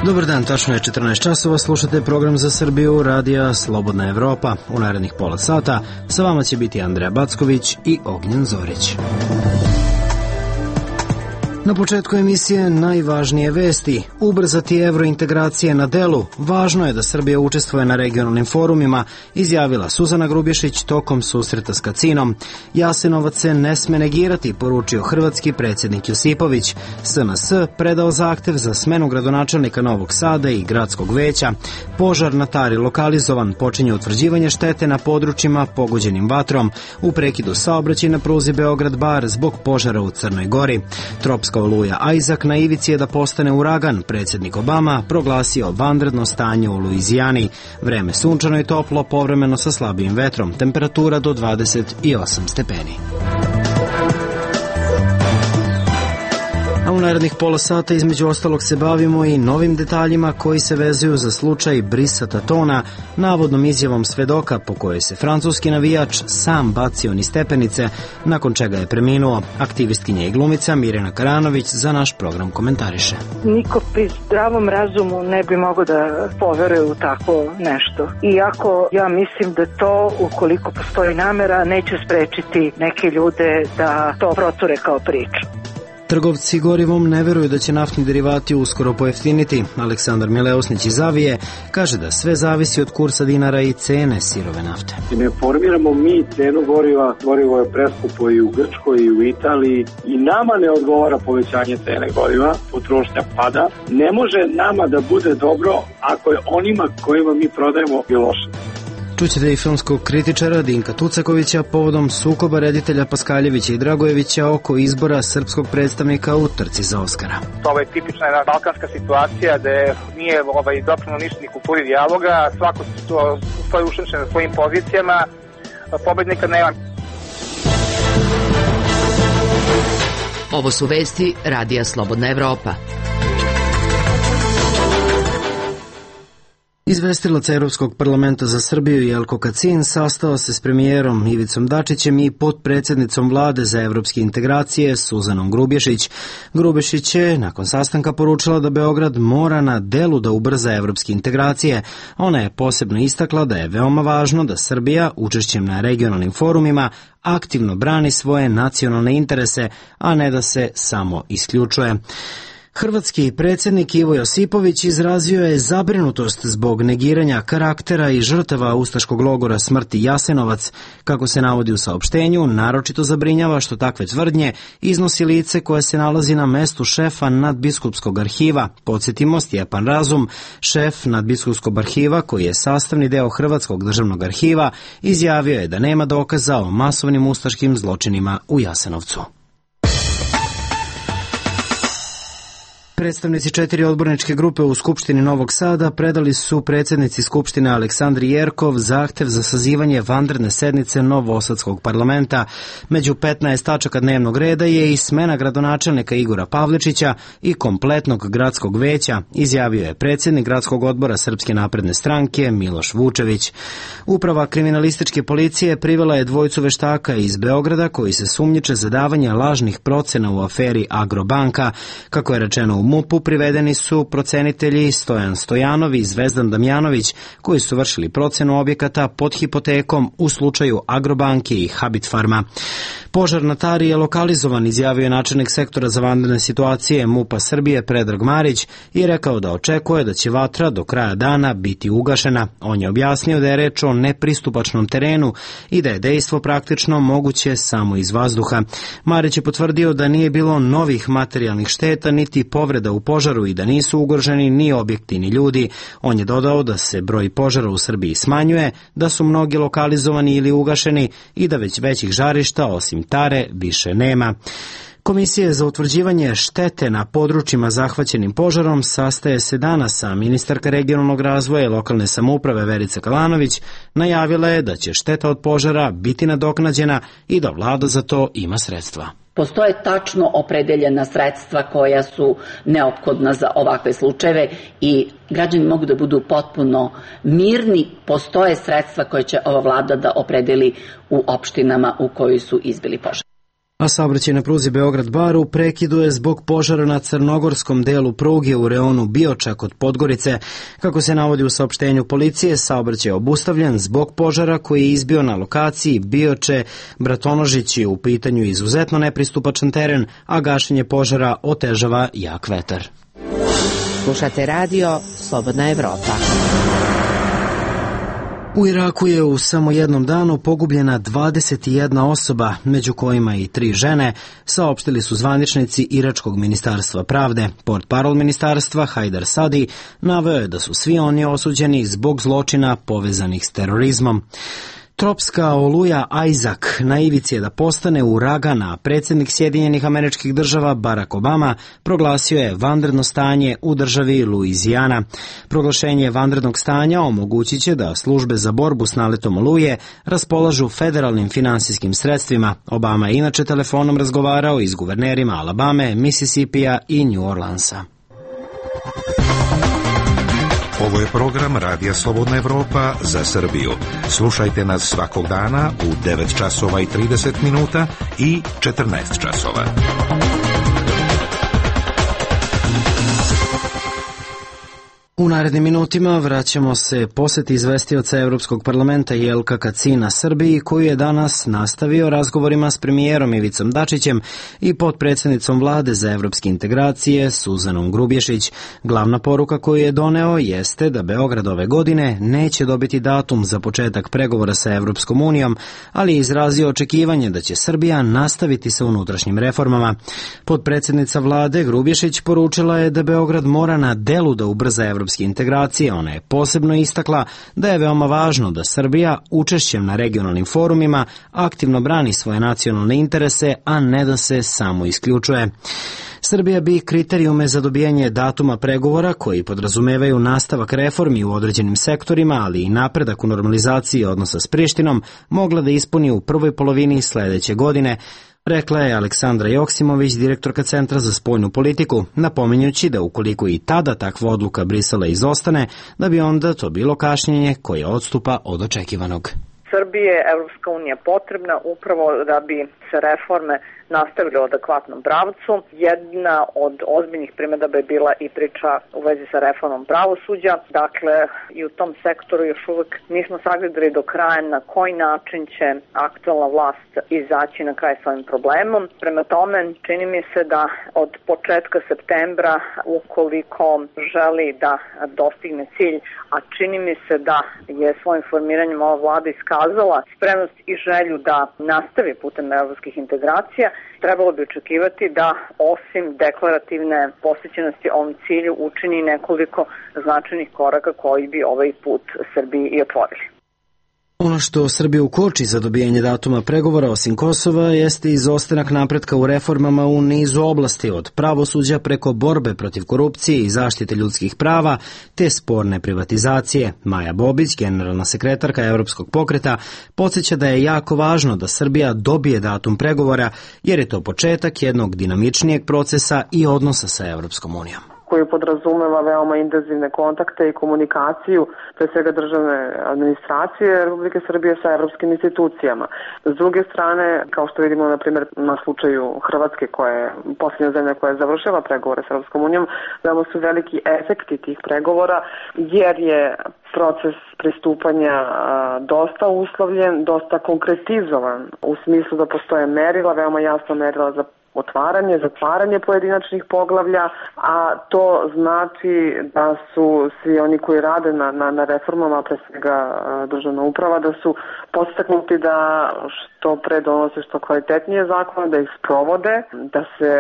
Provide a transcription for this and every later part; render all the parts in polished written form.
Dobar dan, tačno je 14 časova, slušate program za Srbiju, radija Slobodna Evropa. U narednih pola sata sa vama će biti Andreja Backović i Ognjen Zorić. Na početku emisije najvažnije vesti. Ubrzati evrointegracije na delu. Važno je da Srbija učestvuje na regionalnim forumima, izjavila Suzana Grubješić tokom susreta s Kacinom. Jasenovac se ne sme negirati, poručio hrvatski predsjednik Josipović. SNS predao zahtev za smenu gradonačelnika Novog Sada i gradskog veća. Požar na Tari lokalizovan, počinje utvrđivanje štete na područjima pogođenim vatrom. U prekidu saobraćaj na pruzi Beograd-Bar zbog požara u Crnoj Gori. Tropska oluja Isaac na ivici je da postane uragan. Predsjednik Obama proglasio vanredno stanje u Luizijani. Vreme sunčano i toplo, povremeno sa slabijim vetrom. Temperatura do 28 stepeni. A u narednih pola sata između ostalog se bavimo i novim detaljima koji se vezuju za slučaj Brisa Tatona, navodnom izjavom svedoka po kojoj se francuski navijač sam bacio niz stepenice, nakon čega je preminuo. Aktivistkinja i glumica Mirjana Karanović za naš program komentariše. Niko pri zdravom razumu ne bi mogao da poveruje u tako nešto. Iako ja mislim da to, ukoliko postoji namera, neće sprečiti neke ljude da to proture kao priču. Trgovci gorivom ne veruju da će naftni derivati uskoro pojeftiniti. Aleksandar Mileusnić iz Avije kaže da sve zavisi od kursa dinara i cene sirove nafte. Ne formiramo mi cenu goriva, gorivo je preskupo i u Grčkoj i u Italiji i nama ne odgovara povećanje cene goriva, potrošnja pada. Ne može nama da bude dobro ako je onima kojima mi prodajemo i loše. Čućete i filmskog kritičara Dinka Tucakovića povodom sukoba reditelja Paskaljevića i Dragojevića oko izbora srpskog predstavnika u trci za Oskara. Ovo je tipična jedna balkanska situacija gde nije doprino ništa ni kulturi dijaloga, svako stoji ušemšen na svojim pozicijama, pobednika nema. Ovo su vesti radija Slobodna Evropa. Izvestilac Evropskog parlamenta za Srbiju Jelko Kacin sastao se s premijerom Ivicom Dačićem i potpredsjednicom vlade za evropske integracije Suzanom Grubješić. Grubješić je nakon sastanka poručila da Beograd mora na delu da ubrza evropske integracije. Ona je posebno istakla da je veoma važno da Srbija učešćem na regionalnim forumima aktivno brani svoje nacionalne interese, a ne da se samo isključuje. Hrvatski predsjednik Ivo Josipović izrazio je zabrinutost zbog negiranja karaktera i žrtava ustaškog logora smrti Jasenovac. Kako se navodi u saopštenju, naročito zabrinjava što takve tvrdnje iznosi lice koje se nalazi na mestu šefa nadbiskupskog arhiva. Podsjetimo, Stjepan Razum, šef nadbiskupskog arhiva koji je sastavni deo Hrvatskog državnog arhiva, izjavio je da nema dokaza o masovnim ustaškim zločinima u Jasenovcu. Predstavnici 4 odborničke grupe u Skupštini Novog Sada predali su predsjednici Skupštine Aleksandri Jerkov zahtev za sazivanje vanredne sednice Novosadskog parlamenta. Među 15 tačaka dnevnog reda je i smena gradonačelnika Igora Pavličića i kompletnog gradskog veća, izjavio je predsjednik gradskog odbora Srpske napredne stranke Miloš Vučević. Uprava kriminalističke policije privela je dvojicu veštaka iz Beograda koji se sumnjiče za davanje lažnih procena u aferi Agrobanka. Kako je rečeno u MUP-u, privedeni su procenitelji Stojan Stojanov i Zvezdan Damjanović koji su vršili procenu objekata pod hipotekom u slučaju Agrobanke i Habitfarma. Požar na Tari je lokalizovan, izjavio je načelnik sektora za vanredne situacije MUP-a Srbije Predrag Marić i rekao da očekuje da će vatra do kraja dana biti ugašena. On je objasnio da je reč o nepristupačnom terenu i da je dejstvo praktično moguće samo iz vazduha. Marić je potvrdio da nije bilo novih materijalnih šteta niti povreda u požaru i da nisu ugroženi ni objekti ni ljudi. On je dodao da se broj požara u Srbiji smanjuje, da su mnogi lokalizovani ili ugašeni i da već većih žarišta osim Tare više nema. Komisija za utvrđivanje štete na područjima zahvaćenim požarom sastaje se danas, a ministarka regionalnog razvoja i lokalne samouprave Verica Kalanović najavila je da će šteta od požara biti nadoknađena i da vlada za to ima sredstva. Postoje tačno opredeljena sredstva koja su neophodna za ovakve slučajeve i građani mogu da budu potpuno mirni. Postoje sredstva koje će ova vlada da opredeli u opštinama u kojoj su izbili požar. A saobraćaj na pruzi Beograd-Bar u prekidu je zbog požara na crnogorskom delu pruge u reonu Bioča kod Podgorice. Kako se navodi u saopštenju policije, saobraćaj je obustavljen zbog požara koji je izbio na lokaciji Bioče-Bratonožić je u pitanju izuzetno nepristupačan teren, a gašenje požara otežava jak vetar. Slušate radio Slobodna Evropa. U Iraku je u samo jednom danu pogubljena 21 osoba, među kojima i 3 žene, saopštili su zvaničnici Iračkog ministarstva pravde. Portparol ministarstva Hajdar Sadi naveo je da su svi oni osuđeni zbog zločina povezanih s terorizmom. Tropska oluja Isaac na ivici je da postane uragan, a predsjednik Sjedinjenih Američkih Država Barack Obama proglasio je vanredno stanje u državi Luizijana. Proglašenje vanrednog stanja omogućit će da službe za borbu s naletom oluje raspolažu federalnim finansijskim sredstvima. Obama je inače telefonom razgovarao i s guvernerima Alabame, Mississippija i New Orleansa. Ovo je program Radija Slobodna Evropa za Srbiju. Slušajte nas svakog dana u 9 časova i 30 minuta i 14 časova. U narednim minutima vraćamo se posjeti izvestioca Evropskog parlamenta Jelka Kacina Srbiji, koju je danas nastavio razgovorima s premijerom Ivicom Dačićem i potpredsjednicom vlade za evropske integracije Suzanom Grubješić. Glavna poruka koju je doneo jeste da Beograd ove godine neće dobiti datum za početak pregovora sa Evropskom unijom, ali je izrazio očekivanje da će Srbija nastaviti sa unutrašnjim reformama. Potpredsjednica vlade Grubješić poručila je da Beograd mora na delu da ubrza evropske integracije. Ona je posebno istakla da je veoma važno da Srbija učešćem na regionalnim forumima aktivno brani svoje nacionalne interese, a ne da se samo isključuje. Srbija bi kriterijume za dobijanje datuma pregovora, koji podrazumevaju nastavak reformi u određenim sektorima, ali i napredak u normalizaciji odnosa s Prištinom, mogla da ispuni u prvoj polovini sledeće godine, rekla je Aleksandra Joksimović, direktorka Centra za spoljnu politiku, napominjući da ukoliko i tada takva odluka Brisela izostane, da bi onda to bilo kašnjenje koje odstupa od očekivanog. Srbije je Evropska unija potrebna upravo da bi se reforme nastavili u adekvatnom pravcu. Jedna od ozbiljnih primedaba je bila i priča u vezi sa reformom pravosuđa. Dakle, i u tom sektoru još uvek nismo sagledali do kraja na koji način će aktualna vlast izaći na kraj s ovim problemom. Prema tome, čini mi se da od početka septembra, ukoliko želi da dostigne cilj, a čini mi se da je svojim formiranjem ova vlada iskazala spremnost i želju da nastavi putem evropskih integracija, trebalo bi očekivati da osim deklarativne posvećenosti ovom cilju učini nekoliko značajnih koraka koji bi ovaj put Srbiji i otvorili. Ono što Srbiju koči za dobijanje datuma pregovora osim Kosova jeste izostanak napretka u reformama u nizu oblasti, od pravosuđa preko borbe protiv korupcije i zaštite ljudskih prava te sporne privatizacije. Maja Bobić, generalna sekretarka Evropskog pokreta, podsjeća da je jako važno da Srbija dobije datum pregovora jer je to početak jednog dinamičnijeg procesa i odnosa sa Evropskom unijom, koji podrazumeva veoma intenzivne kontakte i komunikaciju, pre svega državne administracije Republike Srbije sa evropskim institucijama. S druge strane, kao što vidimo na primjer na slučaju Hrvatske, koja je posljednja zemlja koja je završila pregovore sa Evropskom unijom, veoma su veliki efekti tih pregovora, jer je proces pristupanja dosta uslovljen, dosta konkretizovan, u smislu da postoje merila, veoma jasno merila za otvaranje, zatvaranje pojedinačnih poglavlja, a to znači da su svi oni koji rade na reformama, pre svega državna uprava, da su podstaknuti da što pre donose što kvalitetnije zakone, da ih sprovode, da se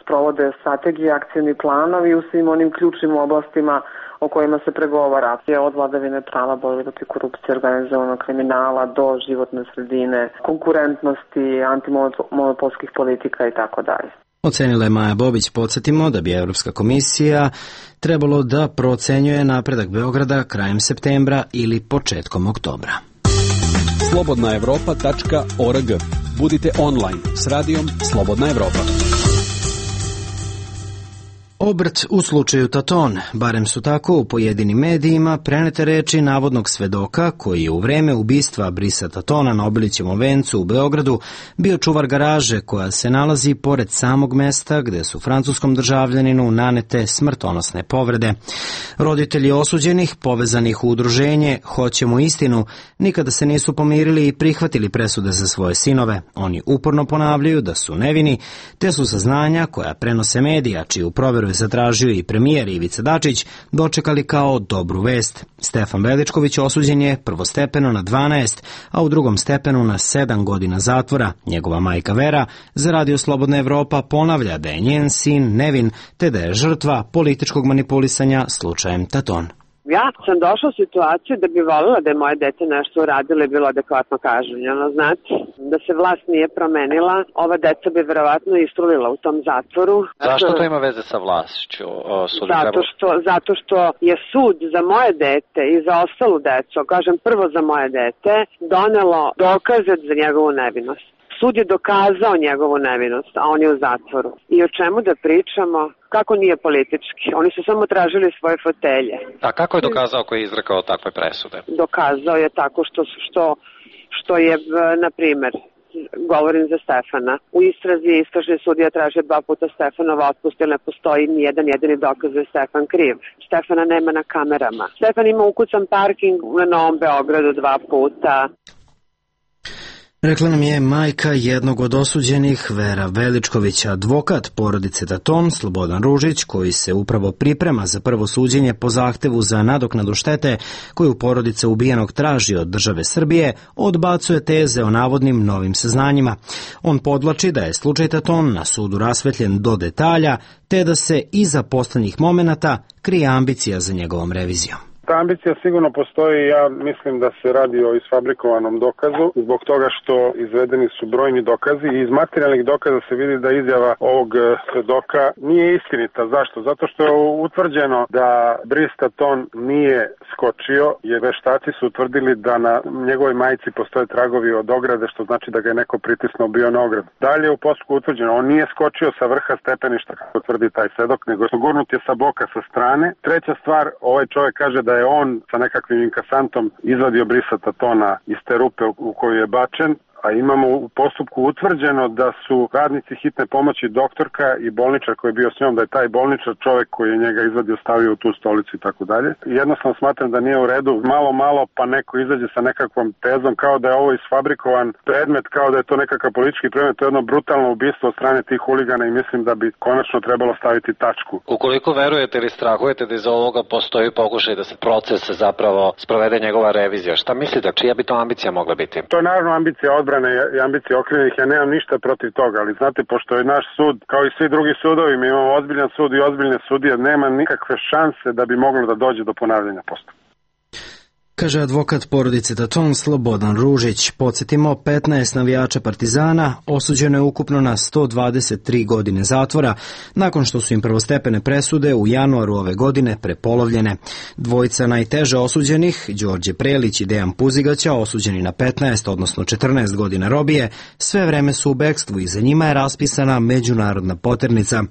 sprovode strategije, akcijni planovi u svim onim ključnim oblastima o kojima se pregovara, od vladavine prava, borbe protiv korupcije, organizovanog kriminala do životne sredine, konkurentnosti, antimonopolskih politika i tako dalje. Ocenila je Maja Bobić. Podsjetimo da bi Evropska komisija trebalo da procenjuje napredak Beograda krajem septembra ili početkom oktobra. slobodnaevropa.org. Budite online s radijom Slobodna Evropa. Obrt u slučaju Taton, barem su tako u pojedinim medijima prenete reči navodnog svedoka koji je u vreme ubistva Brisa Tatona na Obilićevom vencu u Beogradu bio čuvar garaže koja se nalazi pored samog mesta gde su francuskom državljaninu nanete smrtonosne povrede. Roditelji osuđenih, povezanih u udruženje Hoćemo istinu, nikada se nisu pomirili i prihvatili presude za svoje sinove. Oni uporno ponavljaju da su nevini, te su saznanja koja prenose medija, čiju proveru je zatražio i premijer Ivica Dačić, dočekali kao dobru vest. Stefan Veličković osuđen je prvostepeno na 12, a u drugom stepenu na 7 godina zatvora. Njegova majka Vera za Radio Slobodna Evropa ponavlja da je njen sin nevin, te da je žrtva političkog manipulisanja slučajem Taton. Ja sam došla u situaciju da bi voljela da je moje dete nešto uradilo i bilo adekvatno kažnjeno. Znači, da se vlast nije promenila, ova deca bi verovatno istrulila u tom zatvoru. Zašto to ima veze sa vlašću? Zato što je sud za moje dete i za ostalu decu, kažem prvo za moje dete, donelo dokaze za njegovu nevinost. Sud je dokazao njegovu nevinost, a on je u zatvoru. I o čemu da pričamo? Kako nije politički? Oni su samo tražili svoje fotelje. A kako je dokazao koji je izrekao takve presude? Dokazao je tako što je, na primer, govorim za Stefana. U istrazi istražni sudija traže 2 puta Stefanova otpust, jer ne postoji ni jedan jedini dokaz da je Stefan kriv. Stefana nema na kamerama. Stefan ima ukucan parking na Novom Beogradu 2 puta. Rekla nam je majka jednog od osuđenih, Vera Veličković, advokat porodice Taton, Slobodan Ružić, koji se upravo priprema za prvo suđenje po zahtevu za nadoknadu štete koju porodica ubijenog traži od države Srbije, odbacuje teze o navodnim novim saznanjima. On podvlači da je slučaj Taton na sudu rasvetljen do detalja, te da se iza poslednjih momenata krije ambicija za njegovom revizijom. Ta ambicija sigurno postoji, ja mislim da se radi o isfabrikovanom dokazu, zbog toga što izvedeni su brojni dokazi i iz materijalnih dokaza se vidi da izjava ovog svedoka nije istinita. Zašto? Zato što je utvrđeno da Bris Taton nije skočio, jer veštaci su utvrdili da na njegovoj majici postoje tragovi od ograde, što znači da ga je neko pritisnuo bio na ogradu. Dalje u postupku utvrđeno, on nije skočio sa vrha stepeništa, kako tvrdi taj svedok, nego gurnut je sa boka, sa strane. Treća stvar, ovaj čovjek kaže da je on sa nekakvim inkasantom izvadio Brisa Tatona iz te rupe u koju je bačen, a imamo u postupku utvrđeno da su radnici hitne pomoći, doktorka i bolničar koji je bio s njom, da je taj bolničar čovjek koji je njega izvadio stavio u tu stolicu i tako dalje. Jednostavno smatram da nije u redu, malo pa neko izađe sa nekakvom tezom kao da je ovo isfabrikovan predmet, kao da je to nekakav politički predmet, to je jedno brutalno ubistvo od strane tih huligana i mislim da bi konačno trebalo staviti tačku. Ukoliko verujete ili strahujete da iz ovoga postoji pokušaj da se proces zapravo sprovede njegova revizija, šta mislite, čija bi to ambicija mogla biti? To je naravno ambicija odbrane i ambicije okrivljenih, ja nemam ništa protiv toga, ali znate, pošto je naš sud, kao i svi drugi sudovi, mi imamo ozbiljan sud i ozbiljne sudije, nema nikakve šanse da bi moglo da dođe do ponavljanja postupka. Kaže advokat porodice Taton Slobodan Ružić. Podsjetimo, 15 navijača Partizana osuđeno je ukupno na 123 godine zatvora, nakon što su im prvostepene presude u januaru ove godine prepolovljene. Dvojica najteže osuđenih, Đorđe Prelić i Dejan Puzigaća, osuđeni na 15, odnosno 14 godina robije, sve vreme su u bekstvu i za njima je raspisana međunarodna poternica.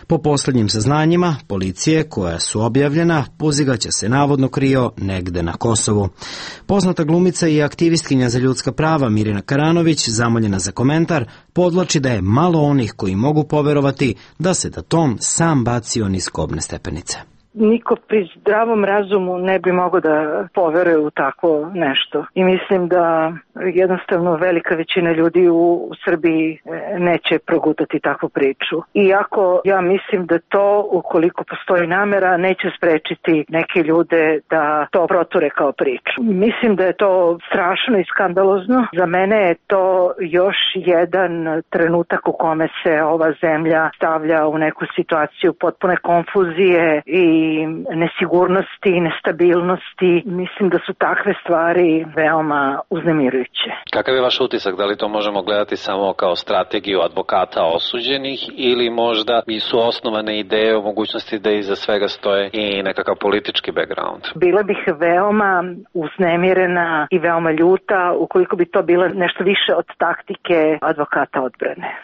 Po poslednjim saznanjima policije koja su objavljena, Puzigaća se navodno krio negde na Kosovu. Poznata glumica i aktivistkinja za ljudska prava Mirjana Karanović, zamoljena za komentar, podvlači da je malo onih koji mogu poverovati da se Taton sam bacio niz kobne stepenice. Niko pri zdravom razumu ne bi mogao da poveruje u tako nešto. I mislim da jednostavno velika većina ljudi u Srbiji neće progutati takvu priču. Iako ja mislim da to, ukoliko postoji namera, neće sprečiti neke ljude da to proture kao priču. Mislim da je to strašno i skandalozno. Za mene je to još jedan trenutak u kome se ova zemlja stavlja u neku situaciju potpune konfuzije i nesigurnosti i nestabilnosti. Mislim da su takve stvari veoma uznemirujuće. Kakav je vaš utisak? Da li to možemo gledati samo kao strategiju advokata osuđenih ili možda su osnovane ideje o mogućnosti da iza svega stoje i nekakav politički background? Bila bih veoma uznemirena i veoma ljuta ukoliko bi to bilo nešto više od taktike advokata odbrane.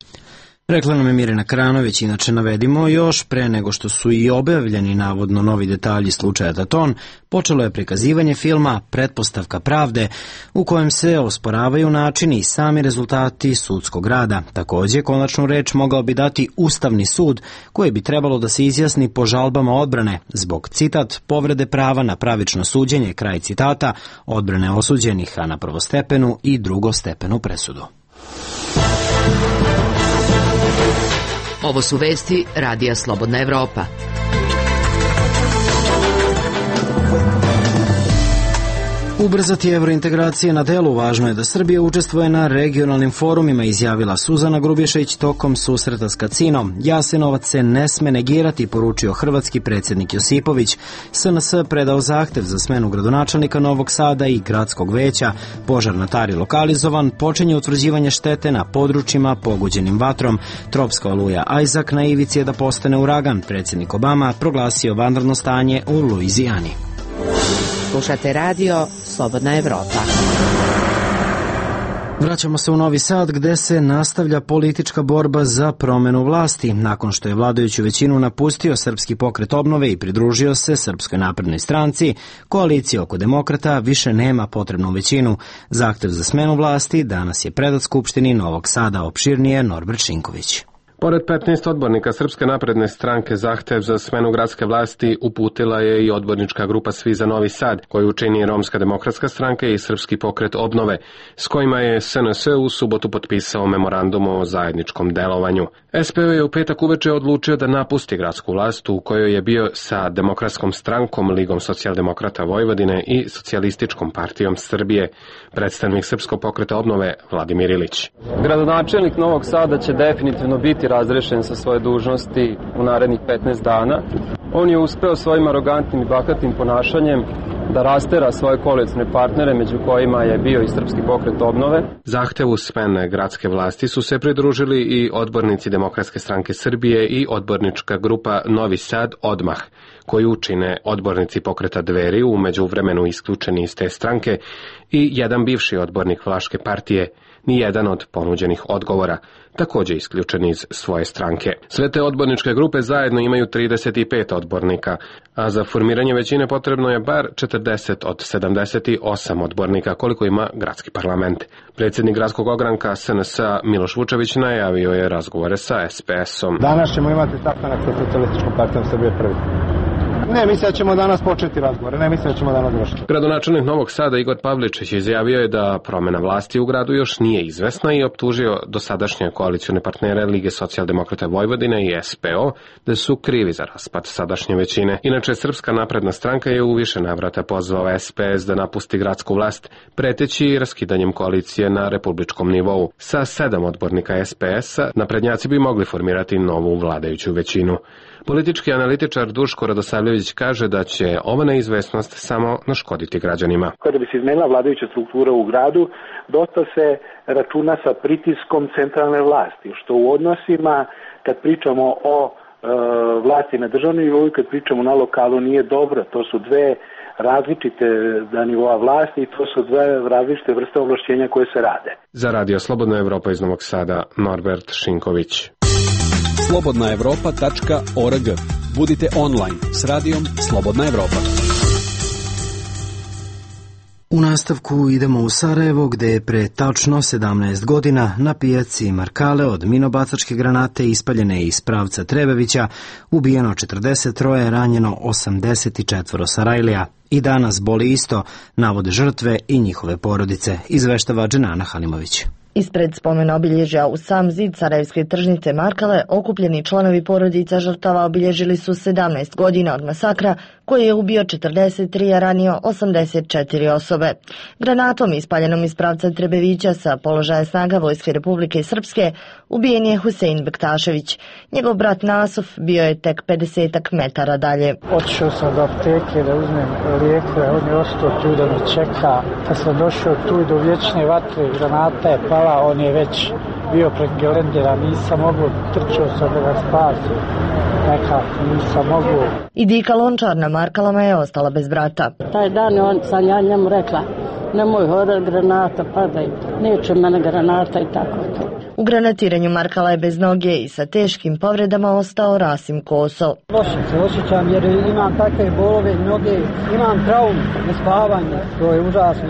Rekla nam je Mirjana Kranović. Inače navedimo još, pre nego što su i objavljeni navodno novi detalji slučaja Taton, počelo je prikazivanje filma Pretpostavka pravde, u kojem se osporavaju načini i sami rezultati sudskog rada. Takođe, konačnu reč mogao bi dati Ustavni sud, koji bi trebalo da se izjasni po žalbama odbrane, zbog, citat, povrede prava na pravično suđenje, kraj citata, odbrane osuđenih, a na prvostepenu i drugostepenu presudu. Ovo su vesti Radija Slobodna Evropa. Ubrzati evrointegracije na delu, važno je da Srbija učestvuje na regionalnim forumima, izjavila Suzana Grubješić tokom susreta s Kacinom. Jasenovac se ne sme negirati, poručio hrvatski predsjednik Josipović. SNS predao zahtev za smenu gradonačelnika Novog Sada i gradskog veća. Požar na Tari lokalizovan, počinje utvrđivanje štete na područjima pogođenim vatrom. Tropska oluja Isaac na ivici je da postane uragan. Predsjednik Obama proglasio vanredno stanje u Luizijani. Slušate radio Slobodna Evropa. Vraćamo se u Novi Sad, gde se nastavlja politička borba za promenu vlasti. Nakon što je vladajuću većinu napustio Srpski pokret obnove i pridružio se Srpskoj naprednoj stranci, koalicija oko demokrata više nema potrebnu većinu. Zahtev za smenu vlasti danas je predat Skupštini Novog Sada, opširnije Norbert Šinković. Pored 15 odbornika Srpske napredne stranke, zahtev za smenu gradske vlasti uputila je i odbornička grupa Svi za Novi Sad, koju čini Romska demokratska stranka i Srpski pokret obnove, s kojima je SNS u subotu potpisao memorandum o zajedničkom delovanju. SPO je u petak uveče odlučio da napusti gradsku vlast u kojoj je bio sa Demokratskom strankom, Ligom socijaldemokrata Vojvodine i Socijalističkom partijom Srbije. Predstavnik Srpskog pokreta obnove Vladimir Ilić. Gradonačelnik Novog Sada će definitivno biti razrešen sa svoje dužnosti u narednih 15 dana. On je uspeo svojim arogantnim i bahatim ponašanjem da rastera svoje koalicijne partnere, među kojima je bio i Srpski pokret obnove. Zahtevu smene gradske vlasti su se pridružili i odbornici Demokratske stranke Srbije i odbornička grupa Novi Sad Odmah, koju čine odbornici pokreta Dveri, u međuvremenu isključeni iz te stranke, i jedan bivši odbornik Vlaške partije. Nijedan od ponuđenih odgovora, također isključen iz svoje stranke. Sve te odborničke grupe zajedno imaju 35 odbornika, a za formiranje većine potrebno je bar 40 od 78 odbornika, koliko ima gradski parlament. Predsjednik gradskog ogranka SNS-a Miloš Vučević najavio je razgovore sa SPS-om. Danas ćemo imati sastanak sa Socijalističkom partijom Srbije prvi. Ne, mislim da ćemo danas početi razgovore, ne mislim da ćemo danas završiti. Gradonačelnik Novog Sada Igor Pavličić izjavio je da promjena vlasti u gradu još nije izvesna i optužio dosadašnje koalicione partnere Lige socijaldemokrata Vojvodine i SPO da su krivi za raspad sadašnje većine. Inače, Srpska napredna stranka je u više navrata pozvao SPS da napusti gradsku vlast, preteći raskidanjem koalicije na republičkom nivou. Sa 7 odbornika SPS-a naprednjaci bi mogli formirati novu vladajuću većinu. Politički analitičar Duško Radosavljević kaže da će ova neizvesnost samo naškoditi građanima. Kada bi se izmenila vladajuća struktura u gradu, dosta se računa sa pritiskom centralne vlasti, što u odnosima, kad pričamo o vlasti na državnom nivou i kad pričamo na lokalu, nije dobro. To su dve različite nivoa vlasti i to su dve različite vrste ovlašćenja koje se rade. Za Radio Slobodna Evropa iz Novog Sada, Norbert Šinković. slobodnaevropa.org. Budite online s radijom Slobodna Evropa. U nastavku idemo u Sarajevo, gde je pre tačno 17 godina na pijaci Markale od minobacačke granate ispaljene iz pravca Trebevića ubijeno 43, ranjeno 84 Sarajlija. I danas boli isto, navode žrtve i njihove porodice, izveštava Dženana Halimović. Ispred spomen obilježja u sam zid sarajevske tržnice Markale okupljeni članovi porodica žrtava obilježili su 17 godina od masakra koji je ubio 43, a ranio 84 osobe. Granatom ispaljenom iz pravca Trebevića sa položaja snaga Vojske Republike Srpske ubijen je Husein Bektašević. Njegov brat Nasuf bio je tek 50 metara dalje. Otišao sam do apteke da uzmem lijekove, on je ostao tu da me čeka. Kad sam došao tu do vječne vatre, granata je pala, on je već bio pred gelendera, nisam mogu, trčao sam da ga spasim. Nekako nisam mogu. I Dika Lončar na Markalama je ostala bez brata. Taj dan sam ja njemu rekla, nemoj hodat, granata padaju, neće mene granata i tako to. U granatiranju Markala je bez noge i sa teškim povredama ostao Rasim Koso. Loše se osjećam jer imam takve bolove noge, imam traumu, nespavanje, to je užasno.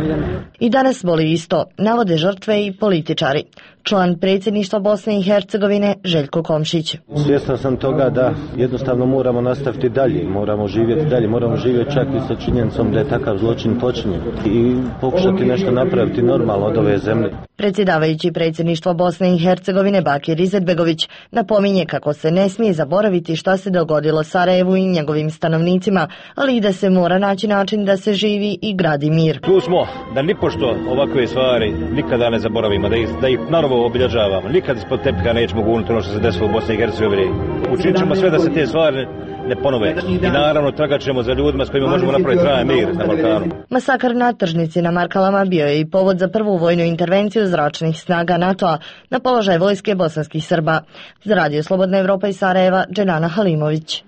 I danas boli isto, navode žrtve i političari. Član predsjedništva Bosne i Hercegovine Željko Komšić. Svjestan sam toga da jednostavno moramo nastaviti dalje, moramo živjeti dalje, moramo živjeti čak i sa činjenicom da je takav zločin počinjen i pokušati nešto napraviti normalno od ove zemlje. Predsjedavajući predsjedništva Bosne i Hercegovine Bakir Izetbegović napominje kako se ne smije zaboraviti šta se dogodilo Sarajevu i njegovim stanovnicima, ali i da se mora naći način da se živi i gradi mir. Tu smo da nipošto ovakve stvari nikada ne zaboravimo, da ih naravno obilježavamo. Nikad ispod tepika nećemo gurnuti ono što se desilo u Bosni i Hercegovini. Učinit ćemo sve da se te stvari ne ponove. I naravno tragat ćemo za ljudima s kojima možemo napraviti trajan mir na Balkanu. Masakar na tržnici na Markalama bio je i povod za prvu vojnu intervenciju zračnih snaga NATO-a na položaj vojske bosanskih Srba. Za Radio Slobodna Evropa iz Sarajeva, Dženana Halimović.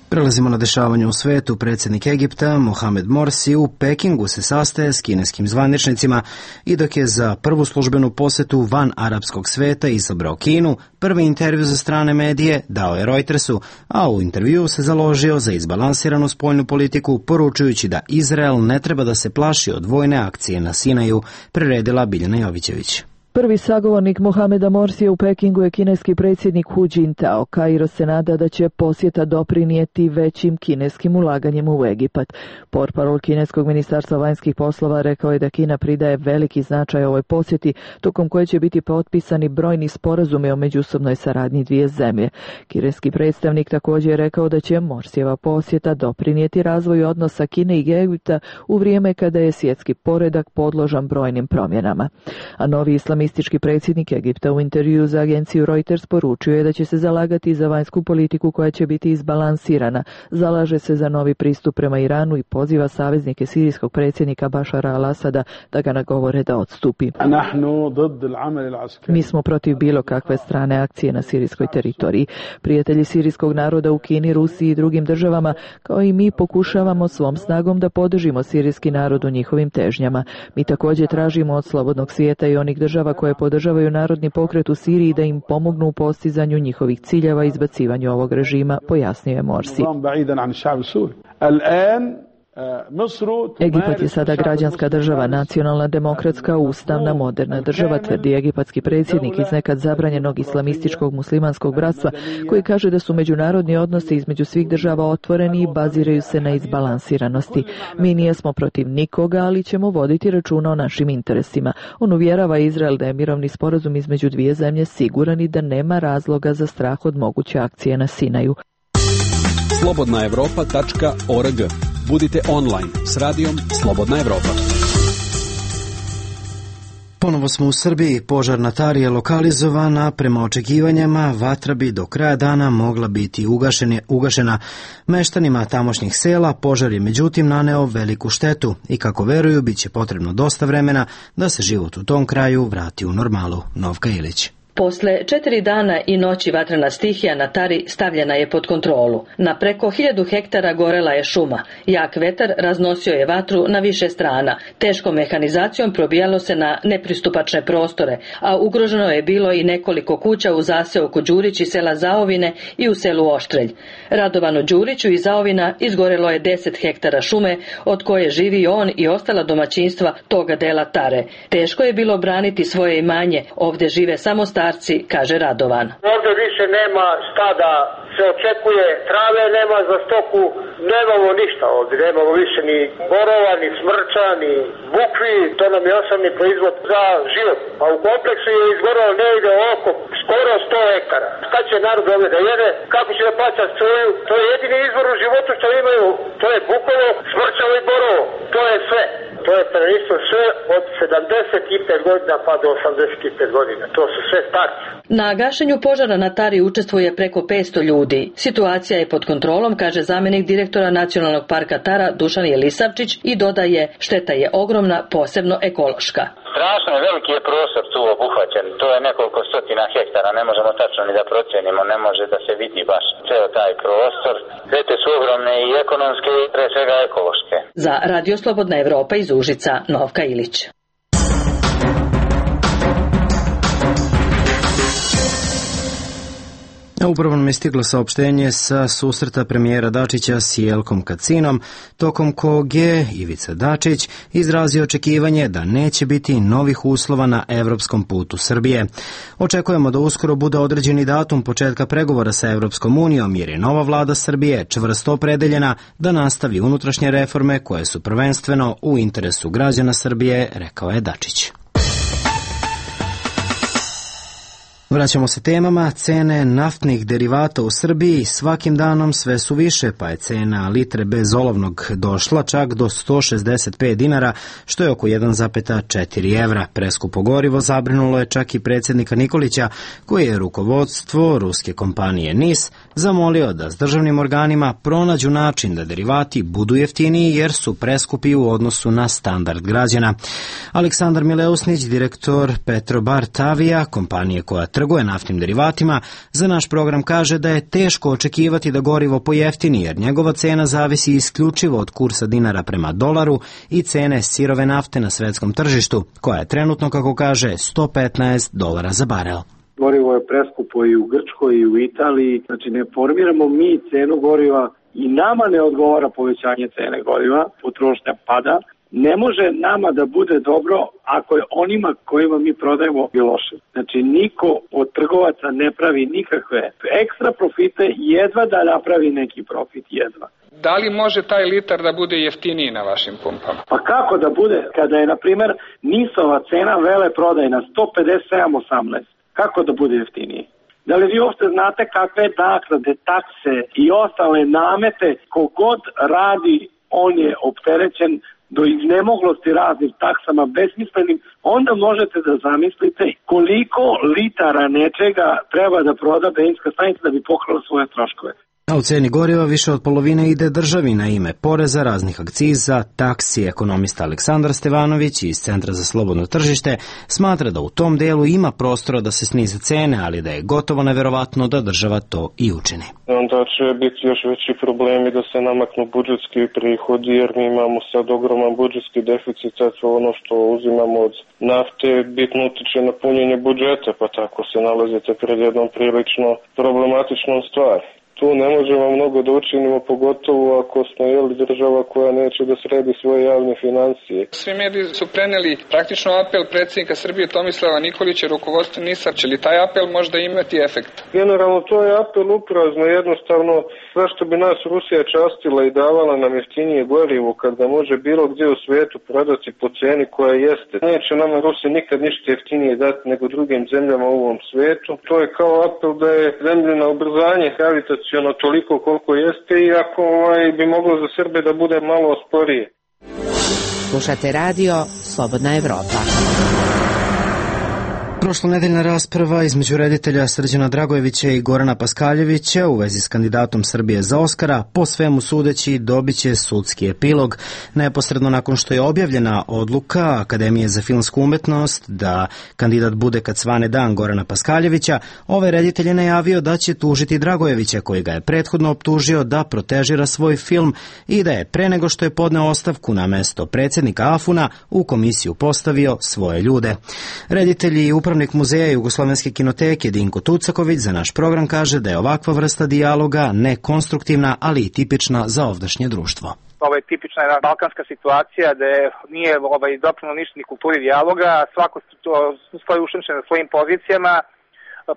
Prelazimo na dešavanje u svetu. Predsjednik Egipta Mohamed Morsi u Pekingu se sastaje s kineskim zvaničnicima i dok je za prvu službenu posjetu van arapskog sveta izabrao Kinu, prvi intervju za strane medije dao je Reutersu, a u intervjuu se založio za izbalansiranu spoljnu politiku, poručujući da Izrael ne treba da se plaši od vojne akcije na Sinaju, priredila Biljana Jovićević. Prvi sagovornik Mohameda Morsija u Pekingu je kineski predsjednik Hu Jintao. Kairo se nada da će posjeta doprinijeti većim kineskim ulaganjem u Egipat. Portparol kineskog ministarstva vanjskih poslova rekao je da Kina pridaje veliki značaj ovoj posjeti, tokom koje će biti potpisani brojni sporazumi o međusobnoj saradnji dvije zemlje. Kineski predstavnik također je rekao da će Morsijeva posjeta doprinijeti razvoju odnosa Kine i Egipta u vrijeme kada je svjetski poredak podložan brojnim promjenama. A novi islamistički predsjednik Egipta u intervjuu za agenciju Reuters poručio je da će se zalagati za vanjsku politiku koja će biti izbalansirana, zalaže se za novi pristup prema Iranu i poziva saveznike sirijskog predsjednika Bašara al-Asada da ga nagovore da odstupi. Mi smo protiv bilo kakve strane akcije na sirijskoj teritoriji. Prijatelji sirijskog naroda u Kini, Rusiji i drugim državama, kao i mi, pokušavamo svom snagom da podržimo sirijski narod u njihovim težnjama. Mi također tražimo od slobodnog svijeta i onih država koje podržavaju narodni pokret u Siriji da im pomognu u postizanju njihovih ciljeva i izbacivanju ovog režima, pojasnio je Morsi. Egipat je sada građanska država, nacionalna, demokratska, ustavna, moderna država, tvrdi egipatski predsjednik iz nekad zabranjenog islamističkog muslimanskog bratstva, koji kaže da su međunarodni odnosi između svih država otvoreni i baziraju se na izbalansiranosti. Mi nijesmo protiv nikoga, ali ćemo voditi računa o našim interesima. On uvjerava Izrael da je mirovni sporazum između dvije zemlje siguran i da nema razloga za strah od moguće akcije na Sinaju. slobodnaevropa.org. Budite online s radijom Slobodna Evropa. Ponovo smo u Srbiji. Požar na Tari je lokalizovan, a prema očekivanjima vatra bi do kraja dana mogla biti ugašena. Meštanima tamošnjih sela požar je međutim naneo veliku štetu i kako veruju bit će potrebno dosta vremena da se život u tom kraju vrati u normalu. Novka Ilić. Posle 4 dana i noći vatrena stihija na Tari stavljena je pod kontrolu. Na preko 1000 hektara gorela je šuma. Jak vetar raznosio je vatru na više strana. Teškom mehanizacijom probijalo se na nepristupačne prostore, a ugroženo je bilo i nekoliko kuća u zaseoku Đurić i sela Zaovine i u selu Oštrelj. Radovanu Đuriću iz Zaovina izgorelo je 10 hektara šume, od koje živi on i ostala domaćinstva toga dela Tare. Teško je bilo braniti svoje imanje. Ovdje žive samo starci, kaže Radovan. Ovdje više nema stada, se očekuje, trave nema za stoku, nemamo ništa ovdje, nemamo više ni borova, ni smrča, ni bukvi, to nam je osnovni proizvod za život. A u kompleksu je izgoralo negdje oko skoro 100 hektara. Šta će narod ovdje da jede, kako će da plaća struju, to je jedini izvor u životu što imaju, to je bukovo, smrčavo i borovo, to je sve. To je prvenstvo sve od 75 godina pa do 85 godina. To su sve starci. Na gašenju požara na Tari učestvuje preko 500 ljudi. Situacija je pod kontrolom, kaže zamjenik direktora Nacionalnog parka Tara Dušan Jelisavčić i dodaje, šteta je ogromna, posebno ekološka. Strašno je, veliki je prostor tu obuhvaćen, to je nekoliko stotina hektara, ne možemo tačno ni da procenimo, ne može da se vidi baš ceo taj prostor. Štete su ogromne i ekonomske i pre svega ekološke. Za Radio Slobodna Evropa iz Užica, Novka Ilić. Upravo nam je stiglo saopštenje sa susreta premijera Dačića s Jelkom Kacinom, tokom kog je Ivica Dačić izrazio očekivanje da neće biti novih uslova na evropskom putu Srbije. Očekujemo da uskoro bude određeni datum početka pregovora sa Evropskom unijom, jer je nova vlada Srbije čvrsto opredeljena da nastavi unutrašnje reforme koje su prvenstveno u interesu građana Srbije, rekao je Dačić. Vraćamo se temama. Cene naftnih derivata u Srbiji svakim danom sve su više, pa je cena litre bezolovnog došla čak do 165 dinara, što je oko 1,4 evra. Preskupo gorivo zabrinulo je čak i predsjednika Nikolića, koji je rukovodstvo ruske kompanije NIS zamolio da s državnim organima pronađu način da derivati budu jeftiniji jer su preskupi u odnosu na standard građana. Aleksandar Mileusnić, direktor Petrobar Tavija, kompanije koja trguje naftnim derivatima, za naš program kaže da je teško očekivati da gorivo pojeftini jer njegova cena zavisi isključivo od kursa dinara prema dolaru i cene sirove nafte na svetskom tržištu, koja je trenutno, kako kaže, $115 za barel. Gorivo je preskupo i u Grčkoj i u Italiji, znači ne formiramo mi cenu goriva i nama ne odgovara povećanje cene goriva, potrošnja pada. Ne može nama da bude dobro ako je onima kojima mi prodajemo i loše. Znači niko od trgovaca ne pravi nikakve ekstra profite, jedva da napravi neki profit, jedva. Da li može taj litar da bude jeftiniji na vašim pumpama? Pa kako da bude kada je, na primjer, NIS-ova cena vele prodajna 157,18? Kako da bude jeftiniji? Da li vi uopšte znate kakve naknade, takse i ostale namete, kogod radi, on je opterećen do iznemoglosti raznim taksama besmislenim, onda možete da zamislite koliko litara nečega treba da proda benzinska stanica da bi pokrila svoje troškove. A u ceni goriva više od polovine ide državi na ime poreza, raznih akciza, taksi. Ekonomista Aleksandar Stevanović iz Centra za slobodno tržište smatra da u tom delu ima prostora da se snize cene, ali da je gotovo neverovatno da država to i učini. Onda će biti još veći problemi da se namaknu budžetski prihodi, jer mi imamo sad ogroman budžetski deficit, ono što uzimamo od nafte bitno utiče na punjenje budžeta, pa tako se nalazite pred jednom prilično problematičnom stvari. Tu ne možemo mnogo da učinimo, pogotovo ako smo država koja neće da sredi svoje javne financije. Svi mediji su preneli praktično apel predsjednika Srbije Tomislava Nikolića, rukovodstva NIS-a. Će li taj apel možda imati efekt? Generalno to je apel uprazno, jednostavno zašto bi nas Rusija častila i davala nam jeftinije gorivo kada može bilo gdje u svijetu prodati po ceni koja jeste. Neće nama Rusija nikad ništa jeftinije dati nego drugim zemljama u ovom svijetu. To je kao apel da je zemljeno ubrzanje gravitaciono toliko koliko jeste i ako bi moglo za Srbe da bude malo sporije. Slušate radio Slobodna Evropa. Prošlonedeljna rasprava između reditelja Srđana Dragojevića i Gorana Paskaljevića u vezi s kandidatom Srbije za Oskara po svemu sudeći dobiće sudski epilog. Neposredno nakon što je objavljena odluka Akademije za filmsku umetnost da kandidat bude kad svane dan Gorana Paskaljevića, ovaj reditelj je najavio da će tužiti Dragojevića, koji ga je prethodno optužio da protežira svoj film i da je pre nego što je podneo ostavku na mesto predsjednika AFUN-a u komisiju postavio svoje ljude. Reditelji i upravnik muzeja Jugoslovenske kinoteke Dinko Tucaković za naš program kaže da je ovakva vrsta dijaloga nekonstruktivna, ali i tipična za ovdašnje društvo. Ovo je tipična jedna balkanska situacija da nije doprino ništa ni kulturi dijaloga, svako stoji ušemšen na svojim pozicijama,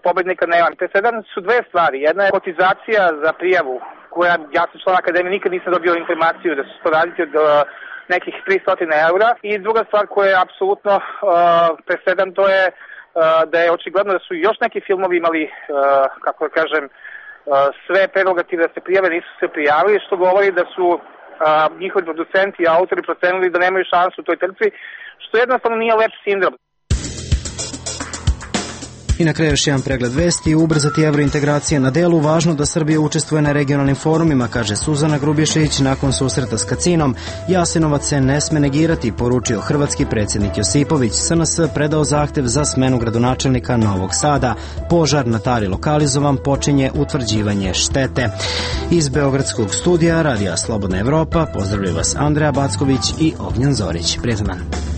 pobednika nema. Presedan su dve stvari. Jedna je kotizacija za prijavu, koja ja sam član Akademije, nikad nisam dobio informaciju da će se to raditi od nekih 300 eura. I druga stvar koja je apsolutno presedan, to je da je očigledno da su još neki filmovi imali, kako da kažem, sve prerogative da se prijave, nisu se prijavili, što govori da su njihovi producenti i autori procenili da nemaju šansu u toj trci, što jednostavno nije lep sindrom. I na kraju još jedan pregled vesti. Ubrzati evrointegracije na delu, važno da Srbija učestvuje na regionalnim forumima, kaže Suzana Grubješić nakon susreta s Kacinom. Jasenovac se ne sme negirati, poručio hrvatski predsjednik Josipović. SNS predao zahtev za smenu gradonačelnika Novog Sada. Požar na Tari lokalizovan, počinje utvrđivanje štete. Iz Beogradskog studija Radija Slobodna Evropa pozdravljaju vas Andreja Backović i Ognjen Zorić. Prijetan dan.